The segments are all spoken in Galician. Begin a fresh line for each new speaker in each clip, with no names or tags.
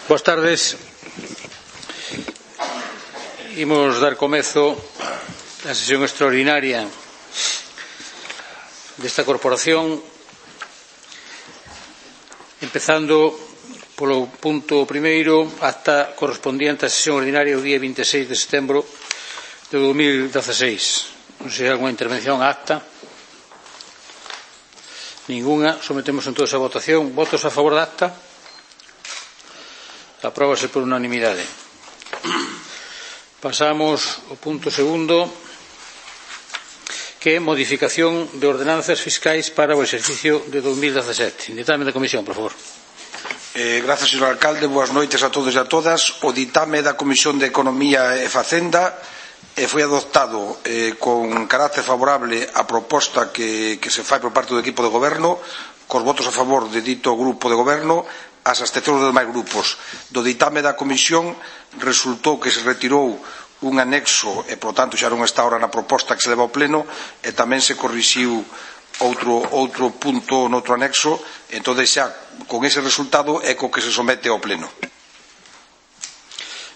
Boas tardes. Imos dar comezo á sesión extraordinaria desta corporación, empezando polo punto primeiro, acta correspondiente á sesión ordinaria o día 26 de setembro de 2016. Non sei se hai alguna intervención á acta. Ninguna. Sometemos entón a votación. Votos a favor da acta? Apróbase por unanimidade. Pasamos ao punto segundo, que é modificación de ordenanzas fiscais para o exercicio de 2017. Ditame da Comisión, por favor.
Gracias, señor alcalde. Boas noites a todos e a todas. O ditame da Comisión de Economía e Facenda foi adoptado con carácter favorable a proposta que se fai por parte do equipo de goberno, cos votos a favor de dito grupo de goberno, as abstencións dos demais grupos. Do ditame da Comisión resultou que se retirou un anexo e, por tanto, xa non está ahora na proposta que se leva ao pleno, e tamén se corrixiu outro punto noutro anexo. Entón, xa, con ese resultado é co que se somete ao pleno.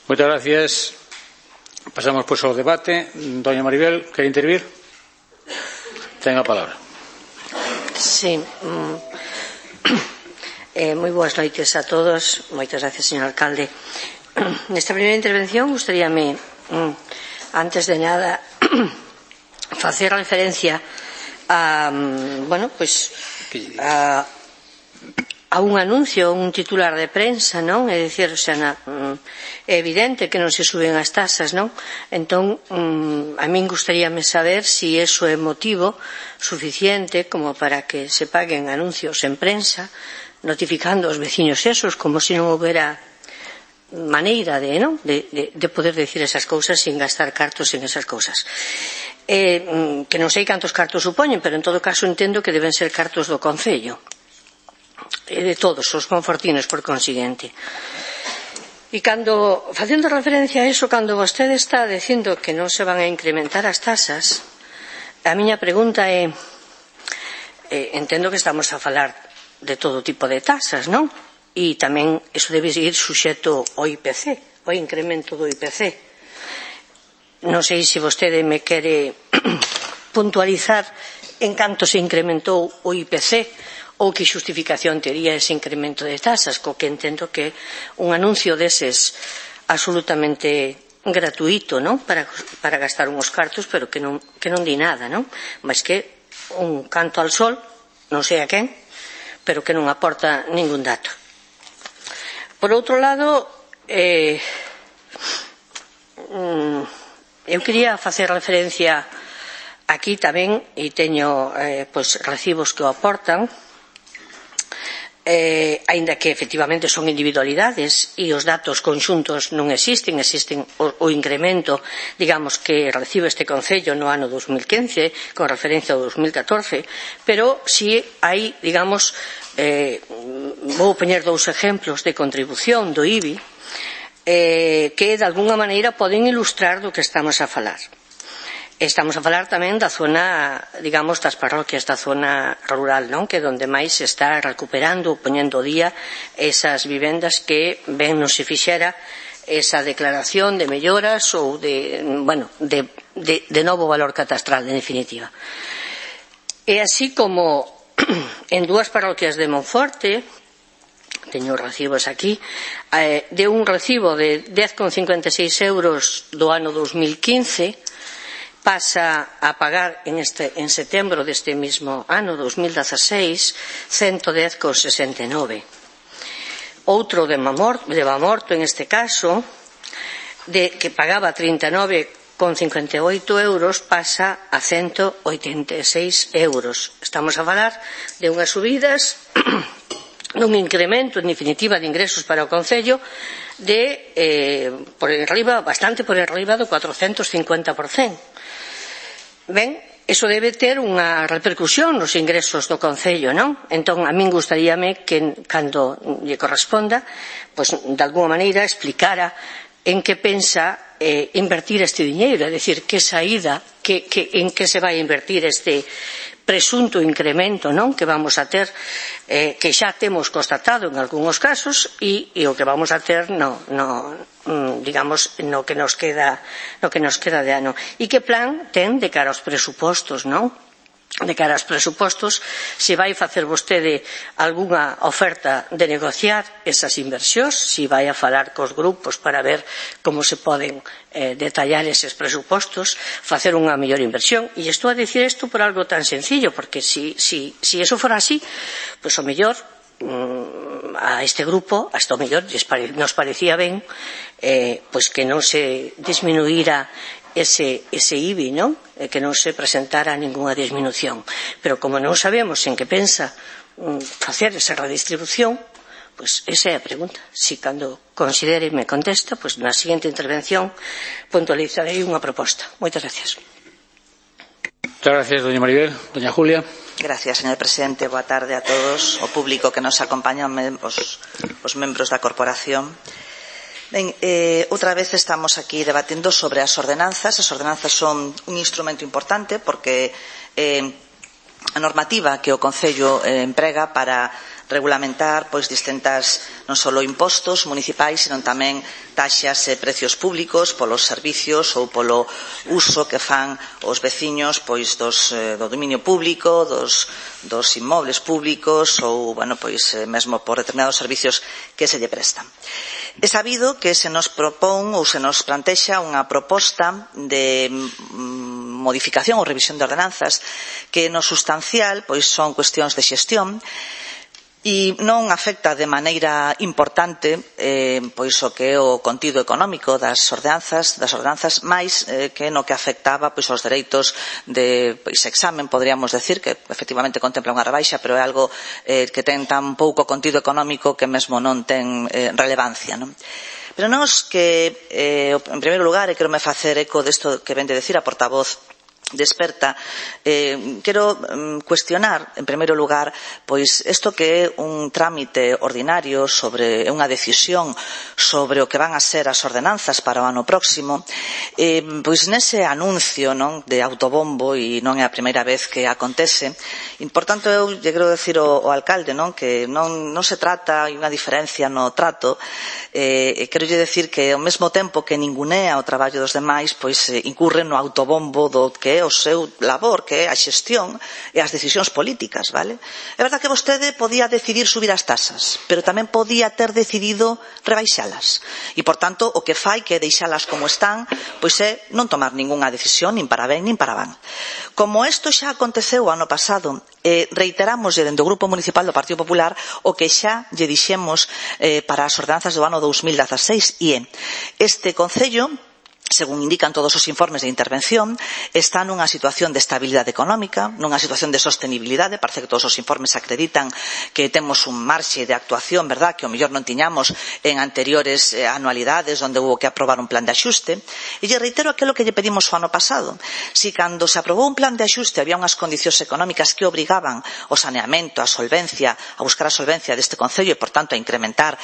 Moitas gracias. Pasamos, pois, ao debate. Doña Maribel, quere intervir? Ten a palabra.
Sí. Moi boas noites a todos. Moitas gracias, señor alcalde. Nesta primeira intervención gustaríame, antes de nada, facer referencia a un anuncio, un titular de prensa, non? É dicir, é evidente que non se suben as tasas, non? Entón, a min gustaríame saber se iso é motivo suficiente como para que se paguen anuncios en prensa notificando aos veciños esos, como se non houbera maneira de poder decir esas cousas sin gastar cartos en esas cousas. Que non sei cantos cartos supoñen, pero en todo caso entendo que deben ser cartos do Concello, de todos os confortinos, por consiguiente. E cando, facendo referencia a eso, cando vostede está dicindo que non se van a incrementar as tasas, a miña pregunta é, entendo que estamos a falar de todo tipo de tasas, non? E tamén iso debe ir suxeto ao IPC, ao incremento do IPC. Non sei se vostede me quere puntualizar en canto se incrementou o IPC ou que xustificación tería ese incremento de tasas, co que entendo que un anuncio deses absolutamente gratuito, non? Para gastar unhos cartos, pero que non di nada, non? Mas que un canto al sol, non sei a quen, pero que non aporta ningún dato. Por outro lado, eu quería facer referencia aquí tamén, e teño recibos que o aportan, aínda que efectivamente son individualidades e os datos conxuntos non existen o incremento, digamos, que recibe este Concello no ano 2015 con referencia ao 2014, pero si hai, digamos, vou poñer dous exemplos de contribución do IBI que de alguna maneira poden ilustrar do que estamos a falar. Estamos a falar tamén da zona, digamos, das parroquias da zona rural, non? Que é onde máis se está recuperando, poñendo día esas vivendas que ben non se fixera esa declaración de melloras ou de novo valor catastral, en definitiva. E así como en dúas parroquias de Monforte, teño recibos aquí, de un recibo de 10,56 euros do ano 2015, pasa a pagar en setembro deste mesmo ano 2016 110,69. Outro de Mamorto, en este caso, que pagaba 39,58 euros, pasa a 186 euros. Estamos a falar de unhas subidas, dun incremento, en definitiva, de ingresos para o Concello de bastante por enriba do 450%. Ben, iso debe ter unha repercusión nos ingresos do Concello, non? Entón, a min gustaríame que, cando lle corresponda, pois, de alguma maneira, explicara en que pensa invertir este diñeiro, é dicir, que saída, en que se vai invertir este presunto incremento, non, que vamos a ter, que xa temos constatado en algúns casos, e o que vamos a ter digamos, no que nos queda de ano. E que plan ten de cara aos presupostos, non? De cara aos presupostos, se vai facer vostede algunha oferta de negociar esas inversións, se vai a falar cos grupos para ver como se poden detallar eses presupostos, facer unha mellor inversión. E estou a dicir isto por algo tan sencillo, porque si eso fora así, pois o mellor a este grupo, hasta o mellor nos parecía ben pois que non se disminuíra ese IBI, non? Que non se presentara ningunha disminución. Pero como non sabemos en que pensa facer esa redistribución, pois esa é a pregunta. Si cando considere e me contesta, pois na seguinte intervención puntualizarei unha proposta. Moitas gracias.
Muchas gracias, doña Maribel. Doña Julia.
Gracias, señor presidente. Boa tarde a todos, o público que nos acompaña, os membros da corporación. Ben, outra vez estamos aquí debatendo sobre as ordenanzas. As ordenanzas son un instrumento importante porque a normativa que o Concello emprega para regulamentar pois distintas non só impostos municipais, senón tamén taxas e precios públicos polos servicios ou polo uso que fan os veciños pois do dominio público, dos inmobles públicos ou, mesmo por determinados servicios que se lle prestan. É sabido que se nos propón ou se nos plantexa unha proposta de modificación ou revisión de ordenanzas que no sustancial pois son cuestións de xestión e non afecta de maneira importante pois o que é o contido económico das ordenanzas máis que no que afectaba pois os dereitos de examen, poderíamos decir, que efectivamente contempla unha rebaixa, pero é algo que ten tan pouco contido económico que mesmo non ten relevancia, non? Pero nós que, en primeiro lugar, e quero me facer eco desto que ven de decir a portavoz de Experta, quero cuestionar, en primeiro lugar, pois isto que é un trámite ordinario sobre unha decisión sobre o que van a ser as ordenanzas para o ano próximo, pois nese anuncio, non, de autobombo, e non é a primeira vez que acontece, e, por tanto, eu lle quero decir ao alcalde, non, que non se trata, hai unha diferencia no trato, quero lle decir que ao mesmo tempo que ningunea o traballo dos demais, pois incurre no autobombo do que é o seu labor, que é a xestión e as decisións políticas, vale? É verdade que vostede podía decidir subir as tasas, pero tamén podía ter decidido rebaixalas. E, por tanto, o que fai que deixalas como están, pois é non tomar ningunha decisión, nin para ben, nin para van. Como isto xa aconteceu o ano pasado, reiteramos dende o Grupo Municipal do Partido Popular o que xa lle dixemos para as ordenanzas do ano 2016, e este Concello, según indican todos os informes de intervención, está nunha situación de estabilidade económica, nunha situación de sostenibilidade. Parece que todos os informes acreditan que temos un marxe de actuación, verdad, que o mellor non tiñamos en anteriores anualidades onde houve que aprobar un plan de axuste. E lle reitero aquilo que lle pedimos o ano pasado. Si cando se aprobou un plan de axuste había unhas condicións económicas que obrigaban o saneamento, a solvencia, a buscar a solvencia deste Concello e, por tanto, a incrementar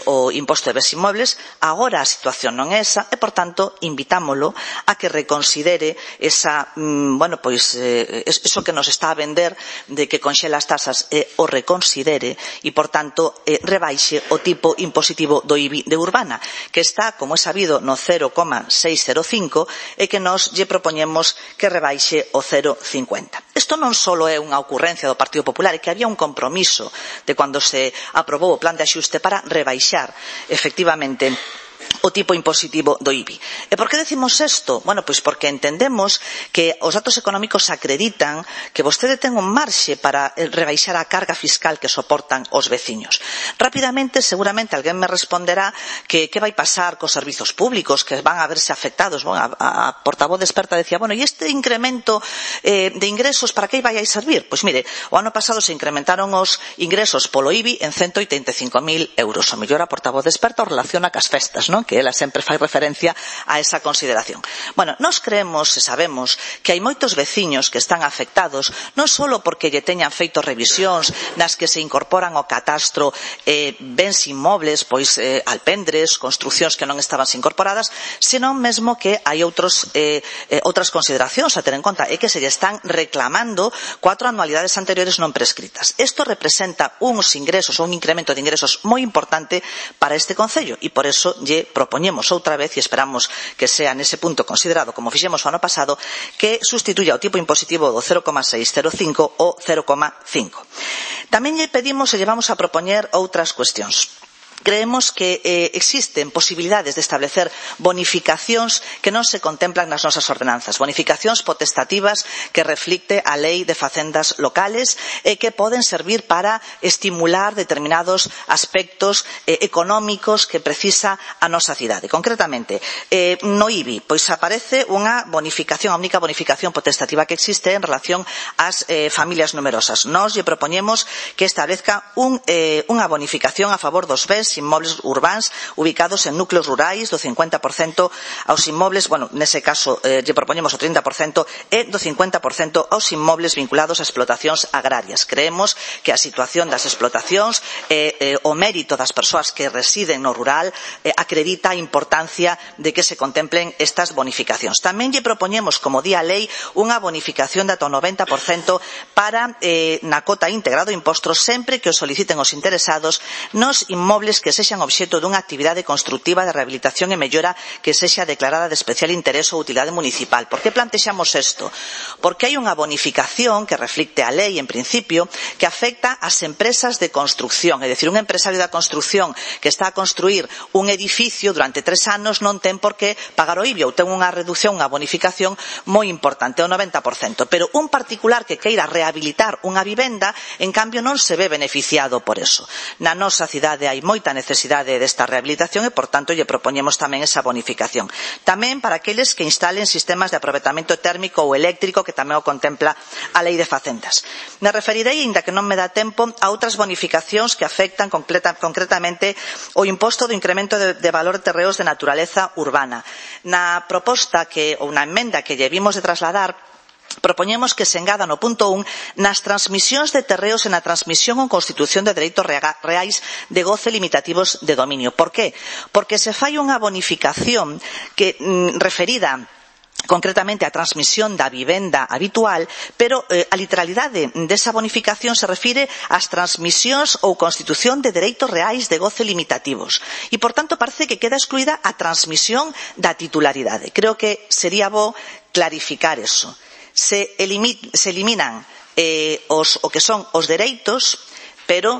o imposto de bens inmobles, agora a situación non é esa e, por tanto, invitámolo a que reconsidere esa, eso que nos está a vender de que conxela as tasas o reconsidere e, por tanto, rebaixe o tipo impositivo do IBI de Urbana, que está, como é sabido, no 0,605 e que nos lle propoñemos que rebaixe o 0,50. Isto non só é unha ocurrencia do Partido Popular, é que había un compromiso de cando se aprobou o plan de axuste para rebaixar, efectivamente, o tipo impositivo do IBI. E por que decimos isto? Bueno, pois porque entendemos que os datos económicos acreditan que vostede ten un marxe para rebaixar a carga fiscal que soportan os veciños. Rapidamente, seguramente, alguén me responderá que vai pasar cos servizos públicos, que van a verse afectados. Bueno, a portavoz de Experta decía, e este incremento de ingresos para que vai a servir? Pois mire, o ano pasado se incrementaron os ingresos polo IBI en 185.000 euros. O mellor a portavoz de Experta o relaciona cas festas, non? Que porque ela sempre fai referencia a esa consideración. Bueno, nós creemos e sabemos que hai moitos veciños que están afectados non só porque lle teñan feito revisións nas que se incorporan ao catastro bens inmobles, pois alpendres, construcións que non estaban incorporadas, senón mesmo que hai outras consideracións a ter en conta e que se lle están reclamando 4 anualidades anteriores non prescritas. Isto representa uns ingresos ou un incremento de ingresos moi importante para este concello e por eso lle propoñemos outra vez e esperamos que sea nese punto considerado como fixemos o ano pasado que sustituya o tipo impositivo do 0,605 o 0,5. Tamén lle pedimos e lle vamos a propoñer outras cuestións. Creemos que existen posibilidades de establecer bonificacións que non se contemplan nas nosas ordenanzas, bonificacións potestativas que reflicte a Lei de Facendas locales e que poden servir para estimular determinados aspectos económicos que precisa a nosa cidade. Concretamente, no IBI, pois aparece unha bonificación, a única bonificación potestativa que existe en relación ás familias numerosas. Nós lle propoñemos que establezca unha bonificación a favor dos bens inmobles urbáns ubicados en núcleos rurais do 50% aos inmobles, bueno, nese caso lle propoñemos o 30% e do 50% aos inmobles vinculados a explotacións agrarias. Creemos que a situación das explotacións o mérito das persoas que residen no rural acredita a importancia de que se contemplen estas bonificacións. Tamén lle propoñemos, como di a lei, unha bonificación de ata o 90% para na cota íntegra do imposto sempre que o soliciten os interesados nos inmobles que sexan obxecto dunha actividade constructiva de rehabilitación e mellora que sexa declarada de especial interese ou utilidade municipal. Por que plantexamos isto? Porque hai unha bonificación que reflicte a lei, en principio, que afecta ás empresas de construcción. É dicir, un empresario da construcción que está a construir un edificio durante 3 anos non ten por que pagar o IBI ou ten unha reducción, unha bonificación moi importante, o 90%. Pero un particular que queira rehabilitar unha vivenda, en cambio, non se ve beneficiado por eso. Na nosa cidade hai moita necesidade desta rehabilitación e, por tanto, lle propoñemos tamén esa bonificación. Tamén para aqueles que instalen sistemas de aproveitamento térmico ou eléctrico, que tamén o contempla a Lei de Facendas. Me referirei, aínda que non me dá tempo, a outras bonificacións que afectan concretamente o imposto do incremento de valor de terreos de naturaleza urbana. Na proposta ou na emenda que lle vimos de trasladar, propoñemos que se engada no punto 1 nas transmisións de terreos e na transmisión ou constitución de dereitos reais de goce limitativos de dominio. Por qué? Porque se fai unha bonificación que referida concretamente a transmisión da vivenda habitual, pero a literalidade desa bonificación se refire ás transmisións ou constitución de dereitos reais de goce limitativos. E, por tanto, parece que queda excluída a transmisión da titularidade. Creo que sería bo clarificar eso. Se eliminan o que son os dereitos, pero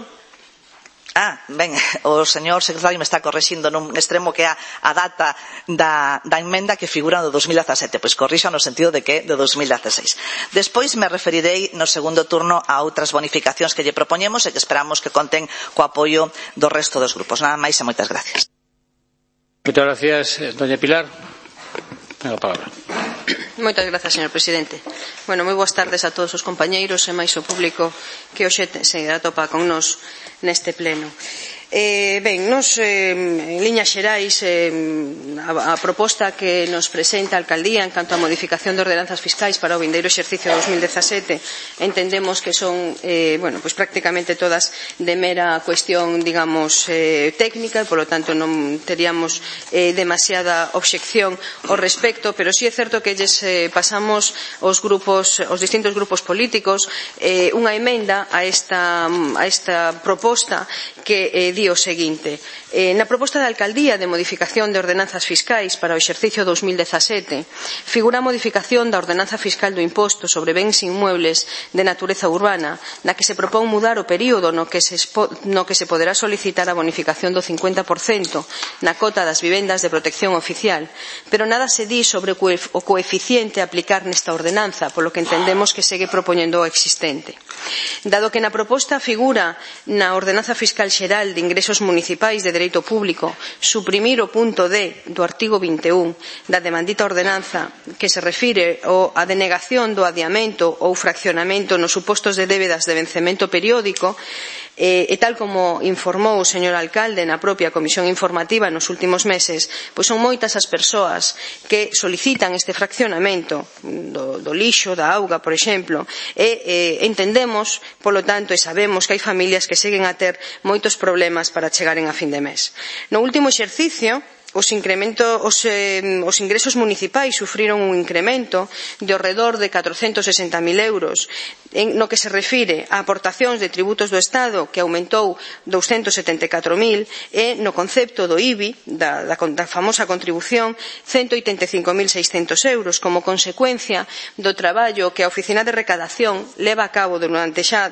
o señor secretario me está corrixindo nun extremo que é a data da emenda que figura no 2017, pois corrixa no sentido de que do 2016. Despois me referirei no segundo turno a outras bonificacións que lle propoñemos e que esperamos que conten co apoio do resto dos grupos. Nada máis e moitas gracias.
Moitas gracias, doña Pilar. Ten a palabra.
Moitas grazas, señor presidente. Bueno, moi boas tardes a todos os compañeiros e máis o público que hoxe se atopa con nos neste pleno. Nos, en liñas xerais, a proposta que nos presenta a Alcaldía en canto a modificación de ordenanzas fiscais para o vindeiro exercicio 2017 entendemos que son prácticamente todas de mera cuestión, digamos, técnica e, polo tanto, non teríamos demasiada obxección ao respecto, pero sí é certo que lles pasamos aos distintos grupos políticos unha emenda a esta proposta que di o seguinte: na proposta da Alcaldía de modificación de ordenanzas fiscais para o exercicio 2017 figura a modificación da ordenanza fiscal do imposto sobre bens inmuebles de natureza urbana, na que se propón mudar o período no que se poderá solicitar a bonificación do 50% na cota das vivendas de protección oficial, pero nada se di sobre o coeficiente a aplicar nesta ordenanza, polo que entendemos que segue propoñendo o existente. Dado que na proposta figura na ordenanza fiscal xeral de ingresos municipais de dereito público suprimir o punto D do artigo 21 da demandita ordenanza que se refire á denegación do adiamento ou fraccionamento nos supostos de débedas de vencemento periódico, E tal como informou o señor alcalde na propia comisión informativa nos últimos meses, pois son moitas as persoas que solicitan este fraccionamento do lixo, da auga, por exemplo, e entendemos, polo tanto, e sabemos que hai familias que seguen a ter moitos problemas para chegaren a fin de mes. No último exercicio, os ingresos municipais sufriron un incremento de ao redor de 460.000 euros no que se refire a aportacións de tributos do Estado, que aumentou 274.000, e no concepto do IBI, da famosa contribución, 185.600 euros, como consecuencia do traballo que a Oficina de Recadación leva a cabo durante xa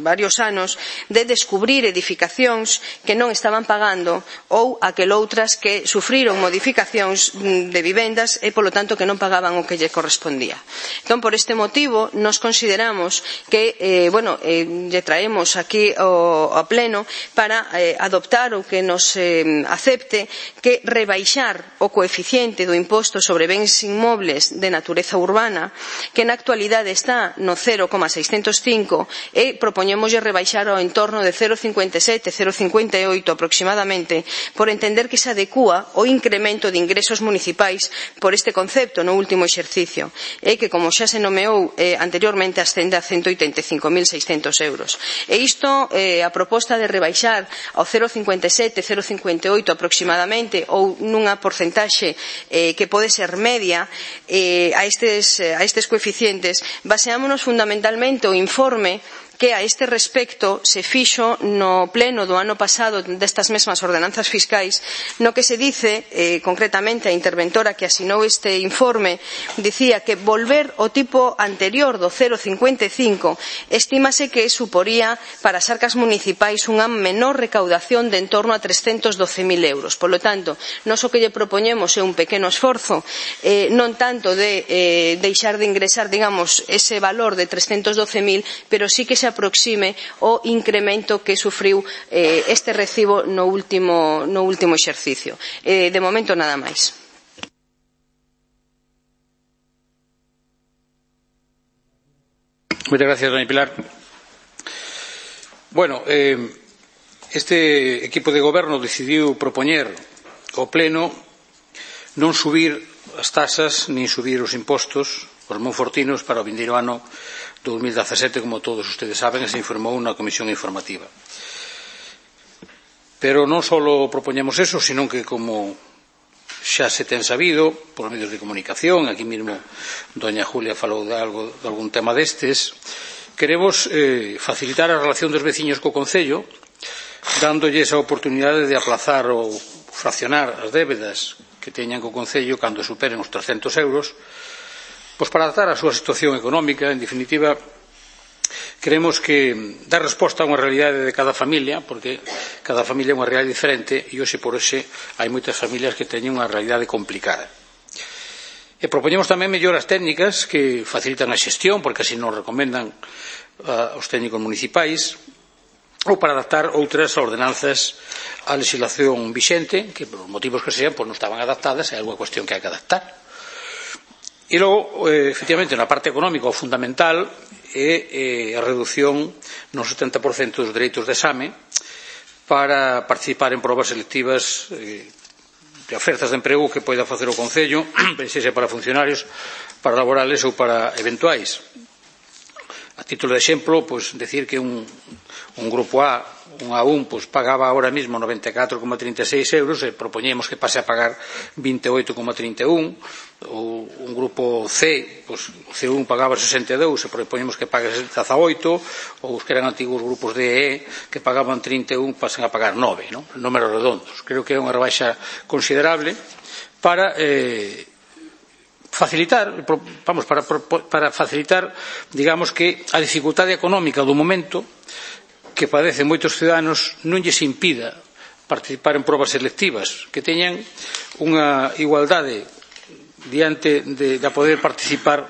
varios anos de descubrir edificacións que non estaban pagando ou aqueloutras que sufriron modificacións de vivendas e, polo tanto, que non pagaban o que lle correspondía. Entón, por este motivo, nos consideramos que lle traemos aquí ao pleno para adoptar ou que nos acepte que rebaixar o coeficiente do imposto sobre bens inmobles de natureza urbana, que na actualidade está no 0,605, e propoñémoslle rebaixar ao entorno de 0,57, 0,58 aproximadamente, por entender que se adecúa o incremento de ingresos municipais por este concepto no último exercicio, e que, como xa se nomeou anteriormente, ascende a 185.600 euros. E isto, a proposta de rebaixar ao 0,57, 0,58 aproximadamente, ou nunha porcentaxe que pode ser media a estes coeficientes, baseámonos fundamentalmente o informe que a este respecto se fixo no pleno do ano pasado destas mesmas ordenanzas fiscais, no que se dice, concretamente a interventora que asinou este informe, dicía que volver ao tipo anterior do 0,55 estímase que suporía para as arcas municipais unha menor recaudación de en torno a 312.000 euros. Por lo tanto, nós o que lle propoñemos é un pequeno esforzo, non tanto de deixar de ingresar, digamos, ese valor de 312.000, pero sí que se aproxime o incremento que sufriu este recibo no último exercicio. De momento, nada máis.
Moitas gracias, doña Pilar. Bueno, este equipo de goberno decidiu propoñer ao pleno non subir as tasas nin subir os impostos aos monfortinos para o vindeiro ano 2017, como todos ustedes saben, e se informou na comisión informativa. Pero non só propoñemos eso, sino que, como xa se ten sabido por medios de comunicación, aquí mesmo doña Julia falou de algún tema destes, queremos facilitar a relación dos veciños co Concello, dándolles a oportunidade de aplazar ou fraccionar as débedas que teñan co Concello cando superen os 300 euros, pois para adaptar a súa situación económica. En definitiva, queremos que dar resposta a unha realidade de cada familia, porque cada familia é unha realidade diferente, e hoxe por hoxe hai moitas familias que teñen unha realidade complicada. E propoñemos tamén melloras técnicas que facilitan a xestión, porque así nos recomendan os técnicos municipais, ou para adaptar outras ordenanzas á legislación vixente, que por motivos que sean, non estaban adaptadas, é algo cuestión que hai que adaptar. E logo, efectivamente, na parte económica, o fundamental é a reducción no 70% dos dereitos de exame para participar en probas selectivas de ofertas de emprego que poida facer o Concello, sexa para funcionarios, para laborales ou para eventuais. A título de exemplo, pois, decir que un grupo A, un A1, pois, pagaba ahora mismo 94,36 euros e propoñemos que pase a pagar 28,31, ou un grupo C, pois, o C1 pagaba 62 e propoñemos que pague 18, ou os que eran antigos grupos D e E que pagaban 31 pasen a pagar 9, non? Números redondos. Creo que é unha rebaixa considerable para facilitar, para facilitar, digamos, que a dificultade económica do momento que padecen moitos ciudadanos non lles impida participar en probas selectivas, que teñan unha igualdade diante de poder participar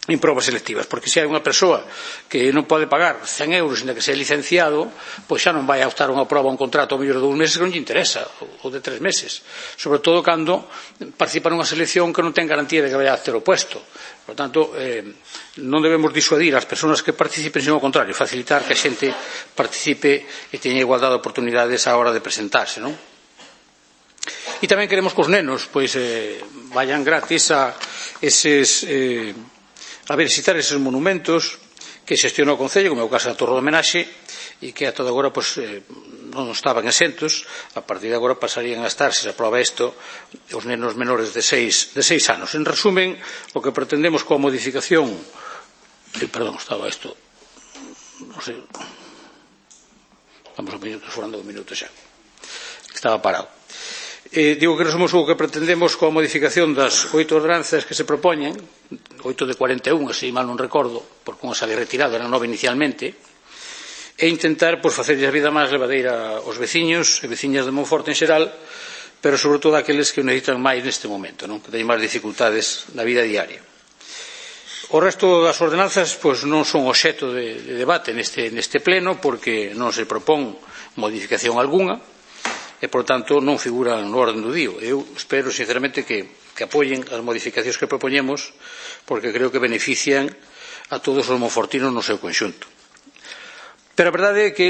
en probas selectivas, porque se hai unha persoa que non pode pagar 100 euros ainda que sea licenciado, pois xa non vai a optar unha proba, un contrato ao mellor de 2 meses que non lle interesa, ou de 3 meses, sobre todo cando participa nunha selección que non ten garantía de que vai a ter o puesto. Por tanto, non debemos disuadir as persoas que participen, sino ao contrario, facilitar que a xente participe e teña igualdade de oportunidades á hora de presentarse, non? E tamén queremos que os nenos pois vayan gratis a visitar eses monumentos que xestiona o Concello, como é o caso da Torre de Homenaxe, e que ata agora non estaban exentos. A partir de agora pasarían a estar, se se aproba isto, os nenos menores de 6 anos. En resumen, o que pretendemos coa modificación estaba isto non sei, vamos a minutos, falando un minuto xa, estaba parado. Digo que resumos o que pretendemos coa modificación das 8 ordenanzas que se propoñen, 8 de 41, así mal non recordo, porque unha sale retirada, era 9 inicialmente, e intentar facerlles a vida máis levadeira aos veciños e veciñas de Monforte en xeral, pero sobre todo aqueles que o necesitan máis neste momento, non? Que teñen máis dificultades na vida diaria. O resto das ordenanzas non son obxecto de debate neste pleno, porque non se propón modificación algunha, e, por tanto, non figuran no orden do día. Eu espero, sinceramente, que apoien as modificacións que propoñemos, porque creo que benefician a todos os monfortinos no seu conxunto. Pero a verdade é que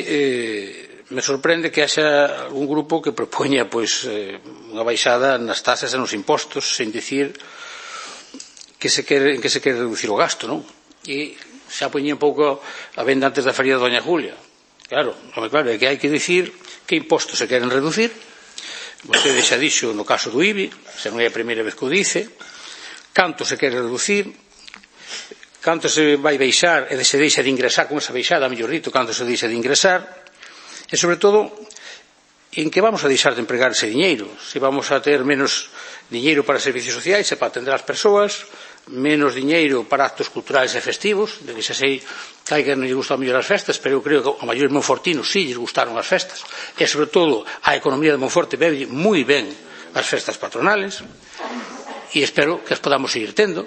me sorprende que haxa algún grupo que propoña unha baixada nas tasas e nos impostos, sen dicir que se quere reducir o gasto, non? E xa poñía un pouco a venda antes da feria de Doña Julia. Claro, é que hai que dicir que impostos se queren reducir. Vostede xa dixo no caso do IBI, se non é a primeira vez que o dice, canto se quere reducir, canto se vai baixar e se deixa de ingresar con esa baixada, mellor dito, canto se deixa de ingresar, e sobre todo en que vamos a deixar de empregar ese diñeiro, se vamos a ter menos diñeiro para servicios sociais e para atender as persoas, menos diñeiro para actos culturais e festivos, de que xa sei que hai que non lle gustan mellor as festas, pero eu creo que a maiores monfortinos sí lles gustaron as festas, e sobre todo a economía de Monforte bebe moi ben as festas patronales, e espero que as podamos seguir tendo,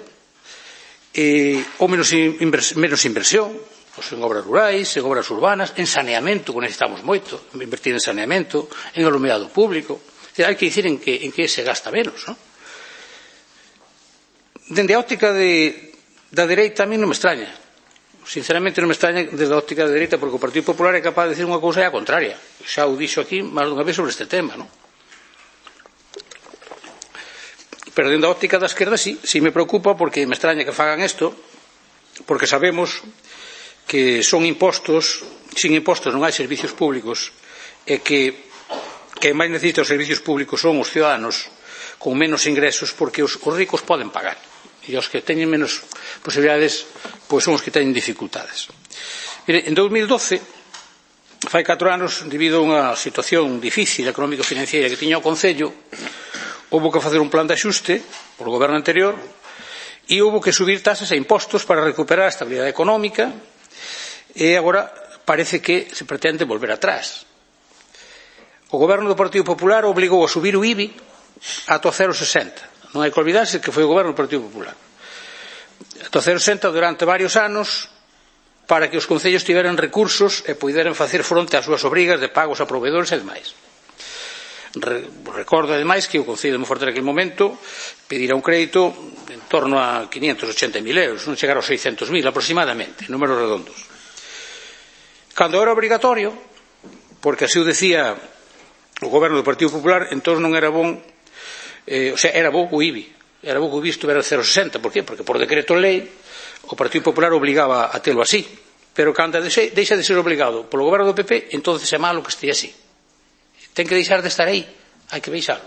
ou menos inversión, en obras rurais, en obras urbanas, en saneamento, que necesitamos moito, invertir en saneamento, en alumeado público. Hai que dicir en que se gasta menos, non? Dende a óptica da dereita, a mí non me extraña. Sinceramente non me extraña desde a óptica da dereita, porque o Partido Popular é capaz de decir unha cousa e a contraria. Xa o dixo aquí máis dunha vez sobre este tema, non? Pero dende a óptica da esquerda sí me preocupa, porque me extraña que fagan isto, porque sabemos que son impostos, sin impostos non hai servicios públicos, e que máis necesitan os servicios públicos son os ciudadanos con menos ingresos, porque os ricos poden pagar, e os que teñen menos posibilidades son os que teñen dificultades. Mire, en 2012, fai 4 anos, debido a unha situación difícil económico-financiera que tiña o Concello, houbo que facer un plan de axuste polo goberno anterior, e houbo que subir tasas e impostos para recuperar a estabilidade económica, e agora parece que se pretende volver atrás. O goberno do Partido Popular obligou a subir o IBI ata o 0,60. Non hai que olvidarse que foi o goberno do Partido Popular. Ata o 0,60 durante varios anos, para que os concellos tiveran recursos e puderan facer fronte ás súas obrigas de pagos a proveedores e demais. Recordo, ademais, que o Concello de Monforte naquele momento pedirá un crédito en torno a 580.000 euros, non chegar aos 600.000 aproximadamente, números redondos. Cando era obrigatorio, porque así o decía o goberno do Partido Popular, entón non era bon, era bo o IBI, era bo que o IBI estuvera 0,60. Por qué? Porque por decreto lei o Partido Popular obligaba a telo así, pero cando deixa de ser obligado polo goberno do PP, entonces é malo que este así. Ten que deixar de estar aí, hai que baixalo.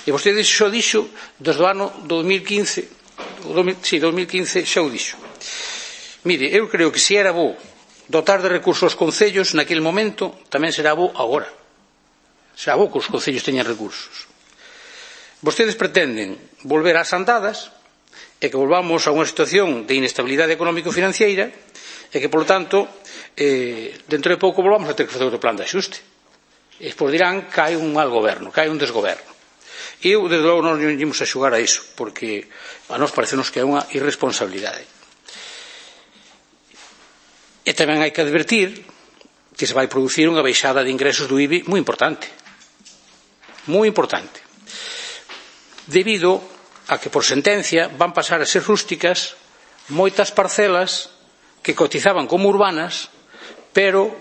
E vostede xo dixo desde o ano 2015, 2015 xa o dixo. Mire, eu creo que se era bo dotar de recursos aos concellos naquele momento, tamén será bo agora. Será bo que os concellos teñan recursos. Vostedes pretenden volver ás andadas e que volvamos a unha situación de inestabilidade económico-financiera e que, polo tanto, dentro de pouco volvamos a ter que facer outro plan de axuste. E despois dirán que hai un mal goberno, que hai un desgoberno. E eu, desde logo, non nos imos a xugar a iso, porque a nós parecenos que é unha irresponsabilidade. E tamén hai que advertir que se vai producir unha baixada de ingresos do IBI moi importante. Moi importante. Debido a que por sentencia van pasar a ser rústicas moitas parcelas que cotizaban como urbanas, pero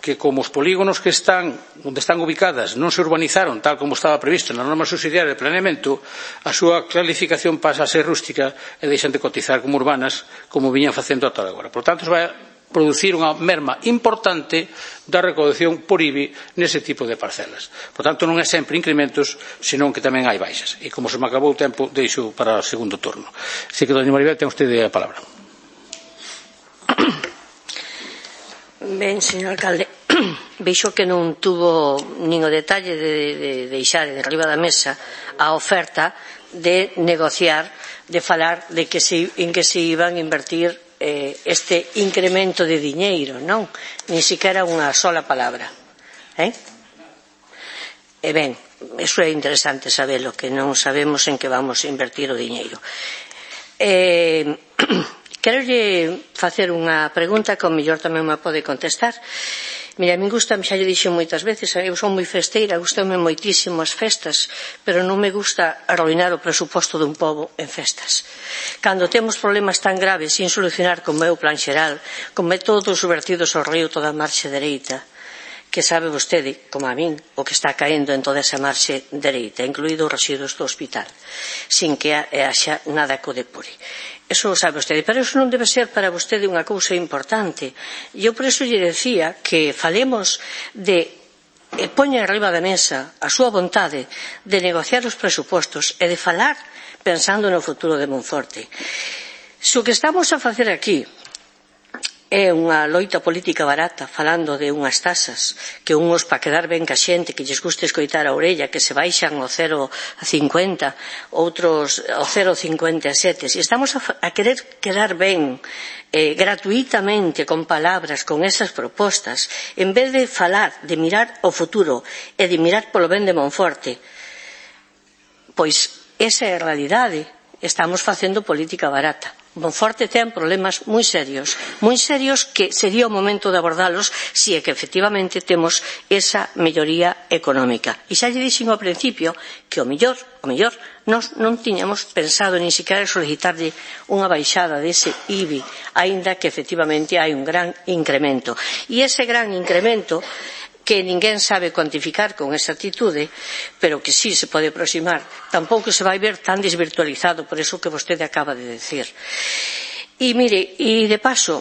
que como os polígonos que están onde están ubicadas non se urbanizaron tal como estaba previsto na norma subsidiaria de planeamento, a súa clasificación pasa a ser rústica e deixan de cotizar como urbanas como viñan facendo ata agora. Por tanto, se vai producir unha merma importante da recaudación por IBI nese tipo de parcelas. Por tanto, non é sempre incrementos, senón que tamén hai baixas. E como se me acabou o tempo, deixo para o segundo turno. Así que, doña Maribel, ten usted a palabra.
Ben, señor alcalde, veixo que non tuvo nin o detalle de deixar de arriba da mesa a oferta de negociar, de falar de que en que se iban a invertir este incremento de diñeiro, non? Ni siquiera unha sola palabra. E ben, iso é interesante sabelo, que non sabemos en que vamos a invertir o diñeiro. Quero facer unha pregunta que ao mellor tamén me pode contestar. Mira, a min gustame, xa lle dixo moitas veces, eu son moi festeira, gustame moitísimo as festas, pero non me gusta arruinar o presuposto dun pobo en festas. Cando temos problemas tan graves sin solucionar como é o plan xeral, como é todos os vertidos ao río toda a marxe dereita, que sabe vostede, como a min, o que está caendo en toda esa marxe dereita, incluído os residuos do hospital, sin que haxa nada que o depure. Eso o sabe vostede, pero eso non debe ser para vostede unha cousa importante. Eu por eso lle decía que falemos de poñer arriba da mesa a súa vontade de negociar os presupostos e de falar pensando no futuro de Monforte. Se o que estamos a facer aquí é unha loita política barata, falando de unhas tasas que unhos para quedar ben ca xente, que lles guste escoitar a orella, que se baixan ao 0,50, outros ao 0,57. Se estamos a querer quedar ben gratuitamente con palabras, con esas propostas, en vez de falar, de mirar o futuro e de mirar polo ben de Monforte, pois esa é a realidade. Estamos facendo política barata. Monforte ten problemas moi serios que sería o momento de abordalos se é que efectivamente temos esa melloría económica. E xa lle dixen ao principio que o mellor nós non tiñamos pensado nin siquiera solicitarlle unha baixada dese IBI, aínda que efectivamente hai un gran incremento. E ese gran incremento que ninguén sabe cuantificar con esa actitude, pero que sí se pode aproximar, tampouco se vai ver tan desvirtualizado por eso que vostede acaba de decir. E mire, e de paso,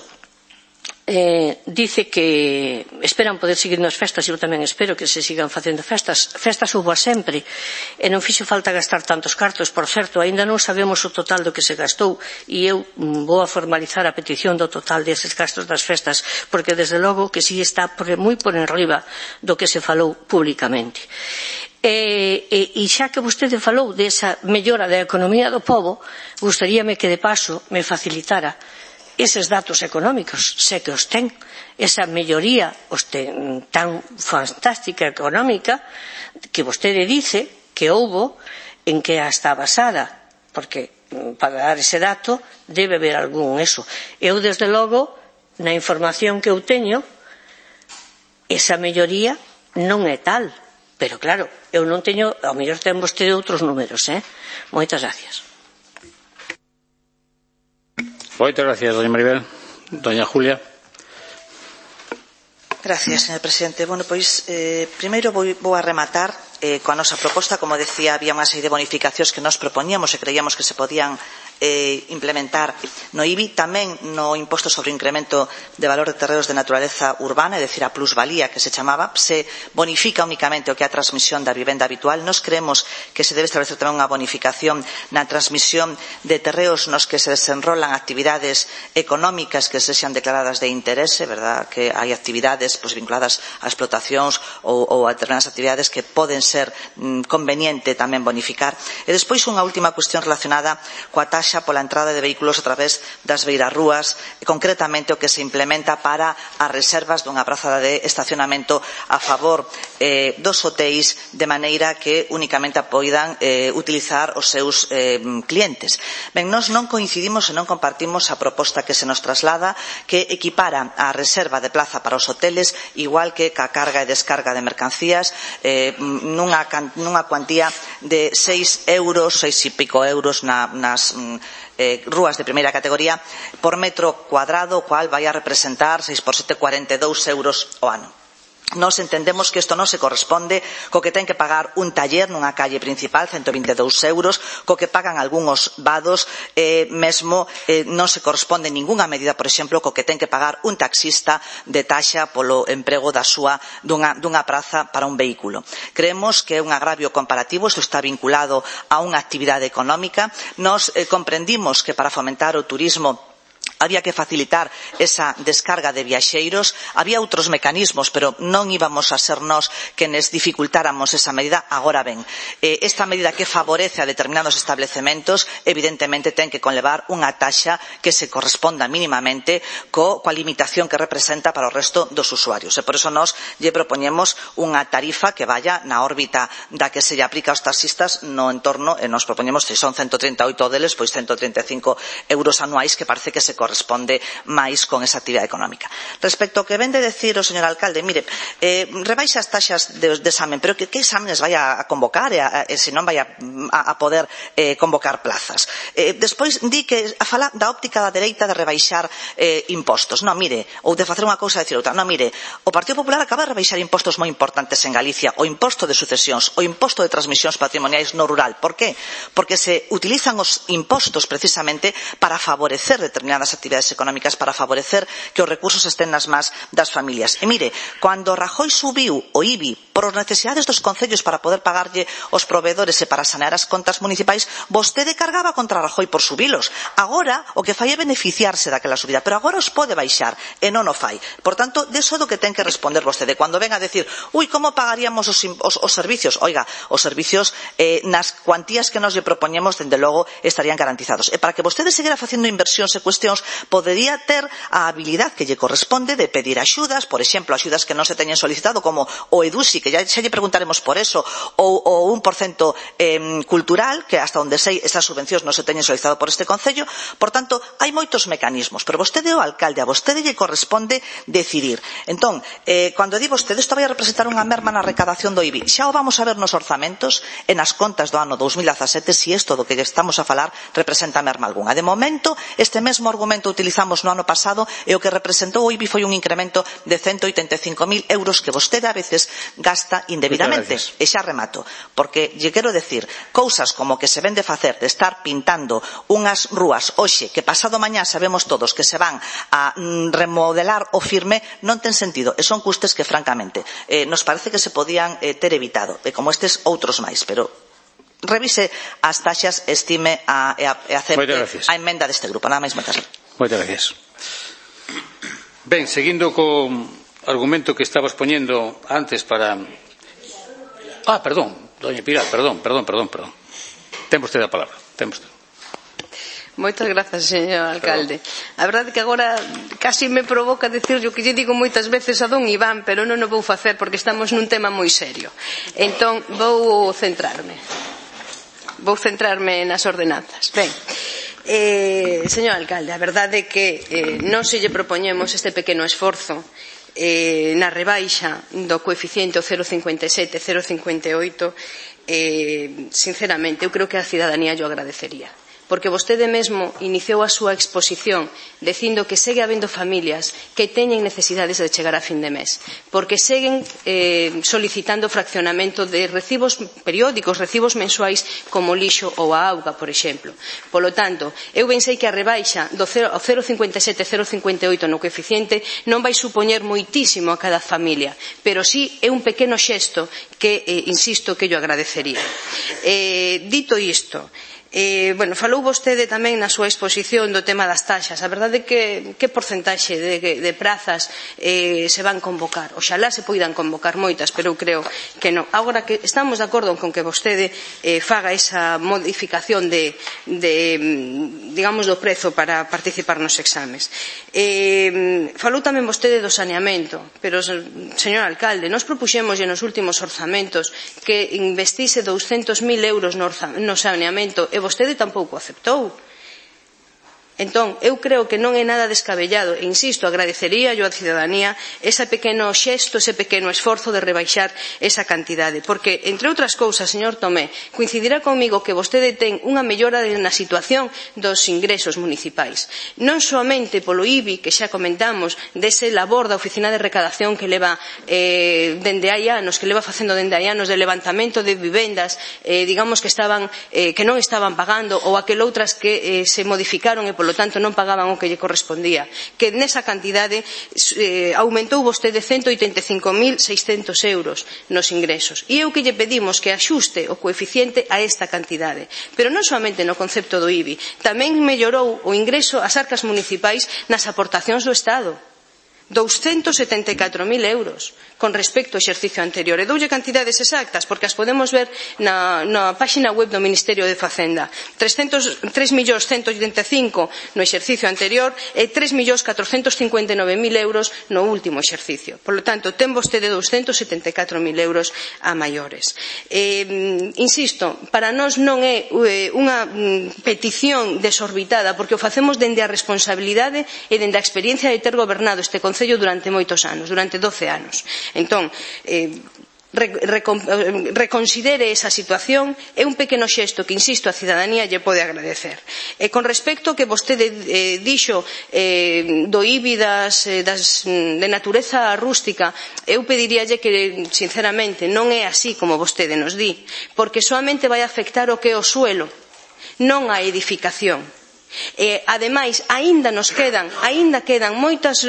dice que esperan poder seguir nas festas, eu tamén espero que se sigan facendo festas hubo sempre, e non fixo falta gastar tantos cartos. Por certo, aínda non sabemos o total do que se gastou, e eu vou a formalizar a petición do total deses gastos das festas, porque desde logo que si está moi por enriba do que se falou públicamente. E xa que vostede falou desa mellora da economía do pobo, gustaríame que de paso me facilitara eses datos económicos, se que os ten, esa melloría tan fantástica económica que vostede dice que houbo, en que está basada, porque para dar ese dato debe haber algún eso. Eu, desde logo, na información que eu teño, esa melloría non é tal, pero claro, eu non teño, ao mellor ten vostede outros números, Moitas gracias.
Moitas gracias, doña Maribel. Doña Julia.
Gracias, señor presidente. Bueno, pois, primeiro vou a rematar coa nosa proposta. Como decía, había unha serie de bonificacións que nos propoñíamos e creíamos que se podían implementar no IBI, tamén no imposto sobre incremento de valor de terreos de naturaleza urbana, é dicir, a plusvalía que se chamaba, se bonifica únicamente o que é a transmisión da vivenda habitual. Nos creemos que se debe establecer tamén unha bonificación na transmisión de terreos nos que se desenrolan actividades económicas que sexan declaradas de interese, verdad? Que hai actividades vinculadas a explotacións ou a determinadas actividades que poden ser conveniente tamén bonificar. E despois unha última cuestión relacionada coa taxa taxa pola entrada de vehículos a través das beirarrúas, concretamente o que se implementa para as reservas dunha praza de estacionamento a favor dos hotéis, de maneira que únicamente poidan utilizar os seus clientes. Ben, nós non coincidimos e non compartimos a proposta que se nos traslada, que equipara a reserva de plaza para os hoteles igual que ca carga e descarga de mercancías nunha cuantía de 6 euros, 6 e pico euros nas rúas de primeira categoría por metro cuadrado, o cual vai a representar 6 por 7, 42 euros ao ano. Nós entendemos que isto non se corresponde co que ten que pagar un taller nunha calle principal, 122 euros, co que pagan algúns vados, mesmo non se corresponde ningunha medida, por exemplo, co que ten que pagar un taxista de taxa polo emprego dunha praza para un vehículo. Creemos que é un agravio comparativo, isto está vinculado a unha actividade económica. Nos comprendimos que para fomentar o turismo había que facilitar esa descarga de viaxeiros, había outros mecanismos, pero non íbamos a ser nós quenes dificultáramos esa medida. Agora ben, esta medida que favorece a determinados establecementos evidentemente ten que conlevar unha taxa que se corresponda mínimamente coa limitación que representa para o resto dos usuarios, e por iso nós lle propoñemos unha tarifa que vaya na órbita da que se lle aplica aos taxistas no entorno, e nos propoñemos, se son 138 deles, pois 135 euros anuais, que parece que se corresponde máis con esa actividade económica. Respecto ao que vende decir o señor alcalde, mire, rebaixa as taxas de examen, pero que exámenes vai a convocar e se non vai a poder convocar plazas. Despois di que fala da óptica da dereita de rebaixar impostos. Non, mire, ou de facer unha cousa e decir outra. Non, mire, o Partido Popular acaba de rebaixar impostos moi importantes en Galicia, o imposto de sucesións, o imposto de transmisións patrimoniais no rural. Por qué? Porque se utilizan os impostos precisamente para favorecer determinadas actividades económicas, para favorecer que os recursos estén nas más das familias. E mire, cando Rajoy subiu o IBI por as necesidades dos concellos para poder pagarlle os proveedores e para sanear as contas municipais, vostede cargaba contra Rajoy por subilos. Agora o que fai é beneficiarse daquela subida, pero agora os pode baixar e non o fai. Por tanto, deso do que ten que responder vostede. Cando ven a decir, como pagaríamos os servicios? Oiga, os servicios nas cuantías que nos lle propoñemos, dende logo, estarían garantizados. E para que vostede seguira facendo inversións e cuestións, podería ter a habilidade que lle corresponde de pedir axudas, por exemplo, axudas que non se teñen solicitado, como o EDUSI, que xa lle preguntaremos por eso, ou o 1% cultural, que hasta onde sei esas subvencións non se teñen solicitado por este Concello. Por tanto, hai moitos mecanismos, pero vostede é o alcalde, a vostede lle corresponde decidir. Entón, cando di vostede, isto vai a representar unha merma na recadación do IBI, xa o vamos a ver nos orzamentos e nas contas do ano 2017 se isto do que estamos a falar representa merma algunha. De momento, este mesmo argumento utilizamos no ano pasado e o que representou o IBI foi un incremento de 185.000 euros que vostede a veces gasta indebidamente. E xa remato, porque lle quero decir, cousas como que se ven de facer de estar pintando unhas rúas hoxe que pasado mañá sabemos todos que se van a remodelar o firme, non ten sentido, e son custes que francamente nos parece que se podían ter evitado, e como estes outros máis, pero revise as taxas, estime e acepte a emenda deste grupo. Nada máis, moitas gracias.
Moitas gracias. Ben, seguindo co argumento que estabas poñendo antes para... perdón, doña Pilar, perdón. Ten vostede a palabra.
Moitas grazas, señor alcalde. A verdade que agora casi me provoca dicirlle o que lle digo moitas veces a don Iván, pero non o vou facer porque estamos nun tema moi serio. Entón, vou centrarme nas ordenanzas. Ben, señor alcalde, a verdade é que non se lle propoñemos este pequeno esforzo na rebaixa do coeficiente 0,57, 0,58, sinceramente, eu creo que a cidadanía yo agradecería. Porque vostede mesmo iniciou a súa exposición dicindo que segue habendo familias que teñen necesidades de chegar a fin de mes, porque seguen solicitando fraccionamento de recibos periódicos, recibos mensuais como lixo ou a auga, por exemplo. Polo tanto, eu ben sei que a rebaixa do 0,57, 0,58 no coeficiente non vai supoñer moitísimo a cada familia, pero sí é un pequeno xesto que, insisto, que yo agradecería. Dito isto, Falou vostede tamén na súa exposición do tema das taxas. A verdade é que porcentaxe de prazas se van convocar? Oxalá se poidan convocar moitas, pero eu creo que non. Agora que estamos de acordo con que vostede faga esa modificación digamos, do prezo para participar nos exames. Falou tamén vostede do saneamento, pero, señor alcalde, nós propuxémoslle nos últimos orzamentos que investise 200.000 euros no saneamento e vostede tampouco aceptou. Entón, eu creo que non é nada descabellado e, insisto, agradecería yo á cidadanía ese pequeno xesto, ese pequeno esforzo de rebaixar esa cantidade, porque, entre outras cousas, señor Tomé, coincidirá comigo que vostede ten unha mellora na situación dos ingresos municipais, non soamente polo IBI, que xa comentamos, dese labor da Oficina de Recadación que leva dende hai anos, que leva facendo dende hai anos, de levantamento de vivendas, digamos que non estaban pagando, ou aqueloutras que se modificaron e polo tanto non pagaban o que lle correspondía, que nesa cantidade aumentou vostede 185.600 euros nos ingresos. E eu que lle pedimos que axuste o coeficiente a esta cantidade. Pero non somente no concepto do IBI, tamén mellorou o ingreso ás arcas municipais nas aportacións do Estado. 274.000 euros con respecto ao exercicio anterior. E doulle cantidades exactas, porque as podemos ver na páxina web do Ministerio de Facenda. 3.185.000 no exercicio anterior e 3.459.000 euros no último exercicio. Por lo tanto, ten vostede 274.000 euros a maiores. Insisto, para nós non é unha petición desorbitada, porque o facemos dende a responsabilidade e dende a experiencia de ter gobernado este Concello durante moitos anos, durante 12 anos. Entón, reconsidere esa situación, é un pequeno xesto que, insisto, a cidadanía lle pode agradecer. Con respecto ao que vostede dixo do IBI de natureza rústica, eu pediríalle que, sinceramente, non é así como vostede nos di, porque soamente vai afectar o que é o suelo, non a edificación. Ademais, aínda quedan moitas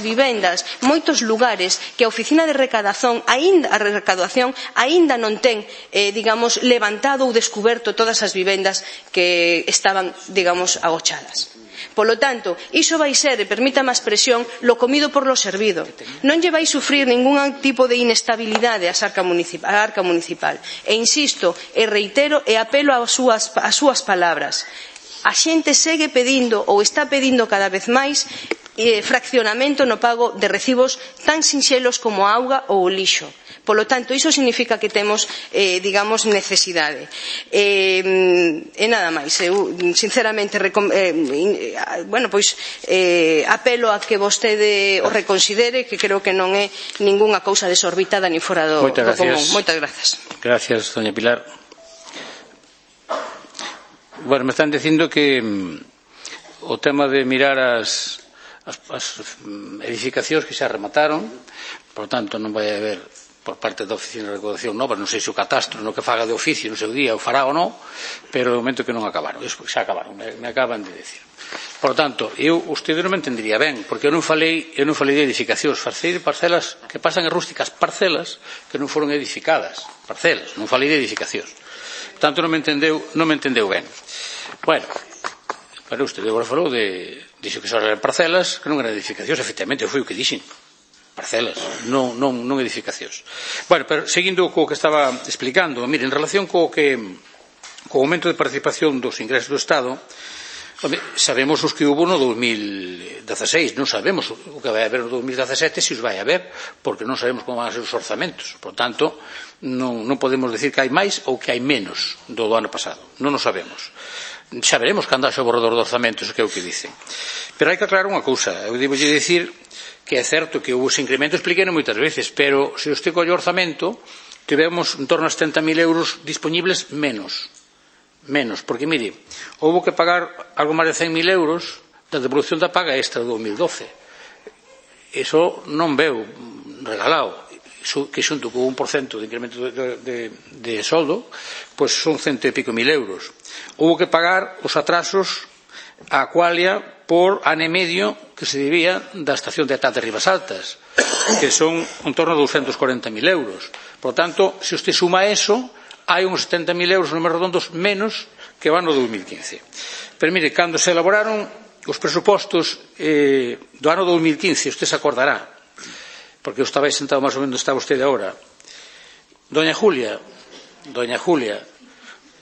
vivendas, moitos lugares que a Oficina de Recadación aínda non ten, digamos, levantado ou descuberto todas as vivendas que estaban, digamos, agochadas. Polo tanto, iso vai ser, e permítame a expresión, lo comido por lo servido. Non lle vai sufrir ningún tipo de inestabilidade a arca municipal. E insisto, e reitero, e apelo ás súas palabras. A xente segue pedindo ou está pedindo cada vez máis fraccionamento no pago de recibos tan sinxelos como a auga ou o lixo. Polo tanto, iso significa que temos, digamos, necesidade. E nada máis. Eu, sinceramente, apelo a que vostede o reconsidere, que creo que non é ningunha cousa desorbitada ni fora do común. Moitas grazas.
Gracias, doña Pilar. Bueno, me están dicindo que o tema de mirar as edificacións que xa remataron, por tanto non vai haber por parte da Oficina de Recaudación nova, non sei se o catastro no que faga de oficio no seu día o fará ou non, pero no momento que non acabaron, xa acabaron, me acaban de decir. Por tanto, usted non me entendería ben, porque eu non falei de edificacións, falei de parcelas que pasan en rústicas, parcelas que non foron edificadas, parcelas, non falei de edificacións. Tanto non me entendeu ben. Bueno, pero usted agora falou dixo que só eran parcelas que non eran edificacións, efectivamente, foi o que dixen, parcelas, non edificacións. Bueno, pero seguindo co que estaba explicando, mire, en relación co aumento de participación dos ingresos do Estado, sabemos os que hubo no 2016, non sabemos o que vai haber no 2017, se os vai haber, porque non sabemos como van a ser os orzamentos. Por tanto, non podemos decir que hai máis ou que hai menos do ano pasado. Non o sabemos. Xa veremos cando haxa o borrador de orzamentos, que é o que dicen. Pero hai que aclarar unha cousa. Eu devo dicir que é certo que houve ese incremento, expliquei moitas veces, pero se usted colle o orzamento, tivemos en torno a 70.000 euros disponibles menos, porque mire, houve que pagar algo máis de 100.000 euros da devolución da paga extra do 2012. Iso non veu regalado, que xunto con 1% de incremento de soldo, pois son 100 e pico mil euros. Houve que pagar os atrasos a Aqualia por ano e medio que se debía da estación de Atate de Ribas Altas, que son en torno a 240.000 euros. Por tanto, se usted suma eso hai uns 70.000 euros, números redondos, menos que o ano 2015. Pero mire, cando se elaboraron os presupostos do ano 2015, usted se acordará, porque eu estaba aí sentado máis ou menos onde está usted agora, Doña Julia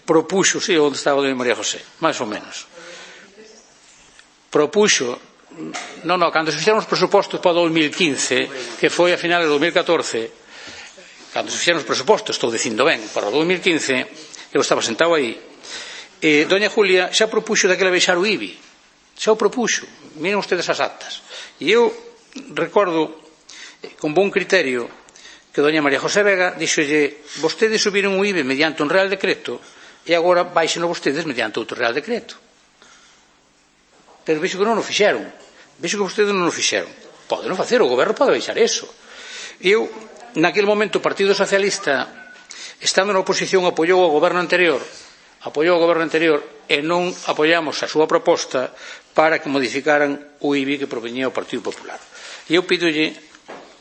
propuxo, sí, onde estaba Doña María José, máis ou menos, propuxo, cando se fixeron os presupostos para o 2015, que foi a finales de 2014, cando se fixeron os presupostos, estou dicindo ben, para o 2015, eu estaba sentado aí, Doña Julia xa propuxo daquela baixar o IBI, xa o propuxo, miren ustedes as actas, e eu recordo con bon criterio que Doña María José Vega dixolle, vostedes subiron o IBI mediante un real decreto e agora baixeno vostedes mediante outro real decreto. Pero vexo que non o fixeron, vexo que vostedes non o fixeron. Pode non facer, o goberno pode baixar eso. Eu, naquele momento, o Partido Socialista, estando na oposición, apoiou o goberno anterior e non apoiamos a súa proposta para que modificaran o IBI que proveñía o Partido Popular. E eu pídolle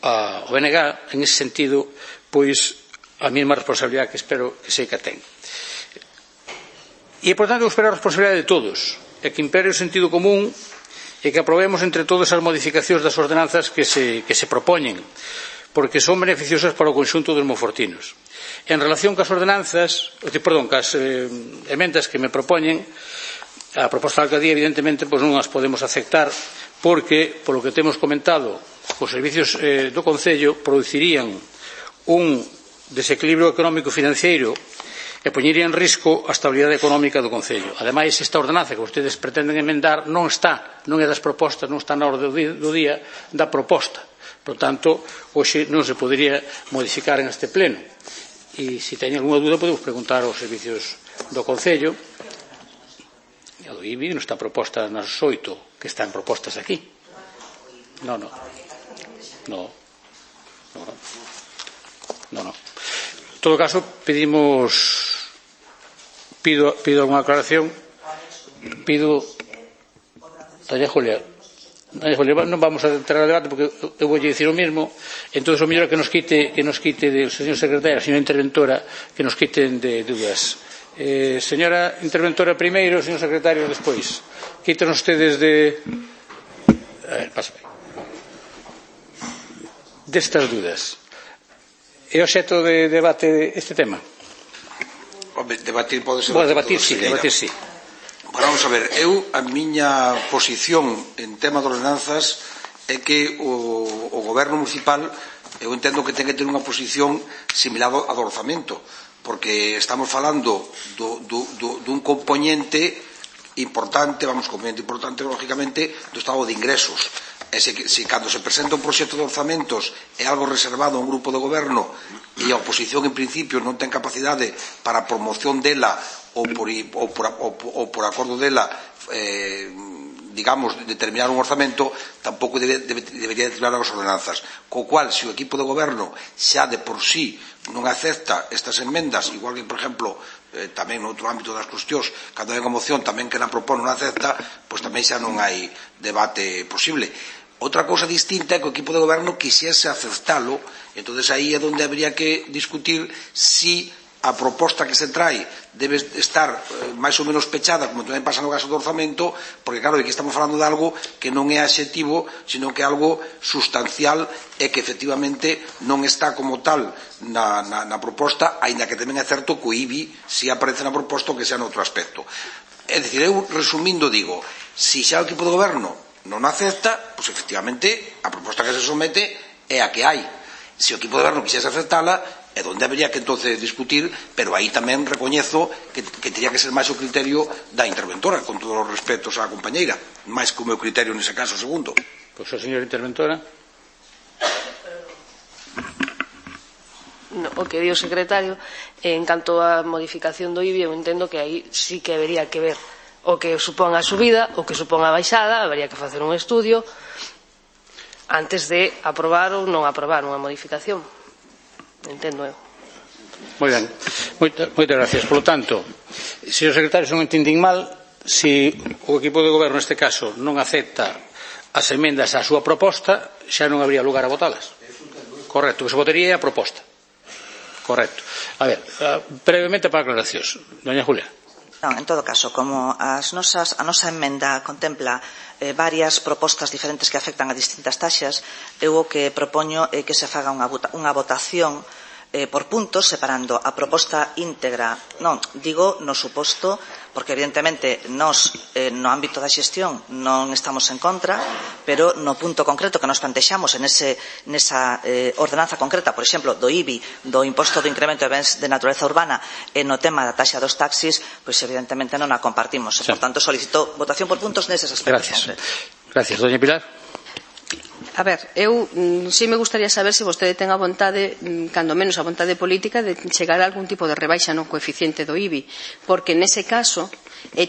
ao BNG, en ese sentido, pois a mesma responsabilidade que espero que sei que ten. E, por tanto, eu espero a responsabilidade de todos, e que impere o sentido común e que aprobemos entre todas as modificacións das ordenanzas que se propoñen, porque son beneficiosas para o conxunto dos monfortinos. En relación cas ordenanzas, cas emendas que me propoñen, a proposta da alcaldía, evidentemente, pois non as podemos aceptar, porque, polo que temos comentado, os servicios do Concello producirían un desequilibrio económico financiero e poñería en risco a estabilidade económica do Concello. Ademais, esta ordenanza que vostedes pretenden emendar non é das propostas, non está na orde do día da proposta. Por tanto, hoxe non se podería modificar en este pleno. E se teñen alguna dúda, podemos preguntar aos servicios do Concello. A do IBI non está proposta nas 8 que están propostas aquí. Non. En todo caso, pido alguna aclaración. Doña Julia, non vamos a entrar al debate porque eu vou dicir o mesmo. Entón, o mellor que nos quite do señor secretario, a señora interventora, que nos quiten de dúdas. Señora interventora primeiro, señor secretario despois. Quítenos ustedes destas dúdas. É obxecto de debate este tema?
Debatir pode ser...
Debatir sí.
Vamos a ver, a miña posición en tema de ordenanzas é que o goberno municipal, eu entendo que ten que ter unha posición similar ao do orzamento, porque estamos falando dun componente importante, lógicamente, do estado de ingresos. E se cando se presenta un proxecto de orzamentos é algo reservado a un grupo de goberno e a oposición en principio non ten capacidade para a promoción dela ou por acordo dela digamos, determinar un orzamento, tampouco debería determinar as ordenanzas. Co cual, se o equipo de goberno xa de por sí non acepta estas enmendas, igual que, por exemplo, tamén no outro ámbito das cuestións, cando hai unha moción tamén que na propón non acepta, pois tamén xa non hai debate posible. Outra cousa distinta é que o equipo de goberno quixese aceptalo, entonces aí é onde habría que discutir si a proposta que se trae debe estar máis ou menos pechada, como tamén pasa no caso do orzamento, porque claro, aquí estamos falando de algo que non é adxetivo, sino que é algo sustancial e que efectivamente non está como tal na proposta, aínda que tamén é certo que o IBI si aparece na proposta o que sea noutro aspecto. É dicir, eu resumindo digo, si xa o equipo de goberno non acepta, pois efectivamente a proposta que se somete é a que hai. Se o equipo de goberno quixese aceptala, é onde habería que entonces discutir, pero aí tamén recoñezo que teria que ser máis o criterio da interventora, con todos os respetos á compañeira, máis que o meu criterio nese caso segundo.
Pois a señora interventora.
O que di o secretario, en canto á modificación do IBI, eu entendo que aí sí que habería que ver o que supón a subida, o que supón a baixada, habería que facer un estudio antes de aprobar ou non aprobar unha modificación. Entendo eu.
Moi ben, moitas gracias. Por lo tanto, señor secretario, se non entendín mal, se o equipo de goberno neste caso non acepta as emendas á súa proposta, xa non habría lugar a votalas. Correcto, que se votaría a proposta. Correcto. A ver, brevemente para aclaracións. Doña Julia.
Non, en todo caso, como a nosa emenda contempla varias propostas diferentes que afectan a distintas taxas, eu o que propoño é que se faga unha votación por puntos, separando a proposta íntegra, non, digo no suposto, porque evidentemente nos, no ámbito da xestión, non estamos en contra, pero no punto concreto que nos plantexamos nesa ordenanza concreta, por exemplo, do IBI, do imposto do incremento de bens de naturaleza urbana, e no tema da taxa dos taxis, pois evidentemente non a compartimos. Por tanto, solicito votación por puntos neses aspectos concretos.
Gracias. Doña Pilar.
A ver, eu si me gustaría saber se vostede ten a vontade, cando menos a vontade política, de chegar a algún tipo de rebaixa no coeficiente do IBI, porque nese caso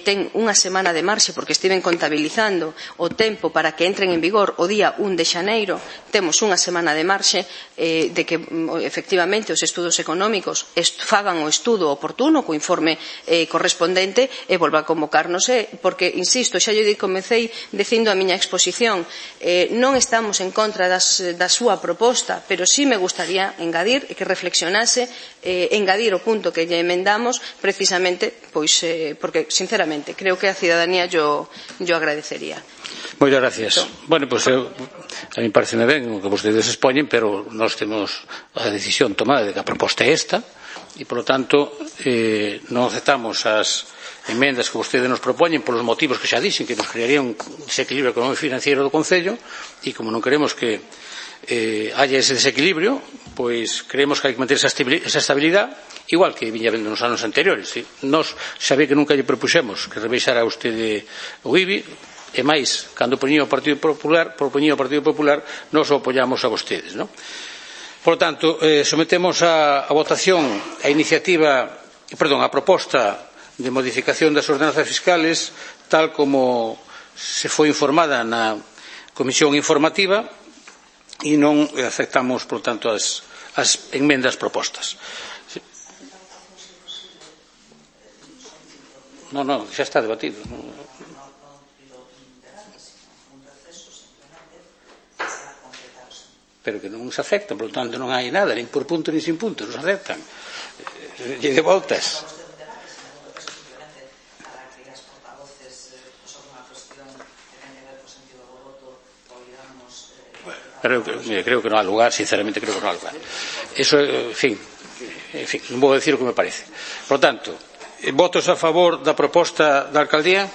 ten unha semana de marxe, porque estiven contabilizando o tempo para que entren en vigor o día 1 de xaneiro, temos unha semana de marxe de que efectivamente os estudos económicos fagan o estudo oportuno co informe correspondente e volva a convocarnos, porque, insisto, xa lle comecei dicindo a miña exposición, non estamos en contra da súa proposta, pero sí me gustaría engadir que reflexionase, engadir o punto que lle emendamos, precisamente, pois, porque, sinceramente, creo que a cidadanía yo agradecería.
Moitas gracias. Bueno, pois a mí pareceme ben o que vostedes expoñen, pero nós temos a decisión tomada de que a proposta é esta e, polo tanto, non aceptamos as emendas que vostedes nos propoñen polos motivos que xa dixen, que nos crearía un desequilibrio económico e financiero do Concello, e como non queremos que haya ese desequilibrio, pois creemos que hai que manter esa estabilidade, igual que viña vendo nos anos anteriores. Nos sabe que nunca lle propuxemos que rebaixara usted o IBI, e máis, cando propoñía o Partido Popular, nos o apoiamos a vostedes, non? Por tanto, sometemos a votación a proposta de modificación das ordenanzas fiscales, tal como se foi informada na comisión informativa, e non aceptamos, por tanto, as enmendas propostas. Non, xa está debatido. Pero que non se afectan, por lo tanto non hai nada, nin por punto nin sin punto, non se aceptan. E de voltas. Creo que non há lugar, sinceramente creo que non há lugar. Eso, en fin, non vou decir o que me parece. Por lo tanto, votos a favor da proposta da alcaldía?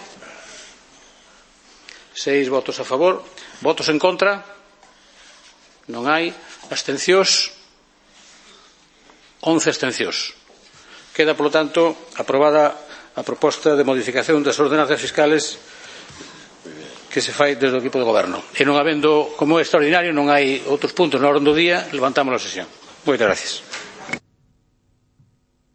6 votos a favor. Votos en contra? Non hai. Abstencións? 11 abstencións. Queda, polo tanto, aprobada a proposta de modificación das ordenanzas fiscales que se fai desde o equipo de goberno. E non habendo, como é extraordinario, non hai outros puntos na orde do día, levantamos a sesión. Moitas gracias.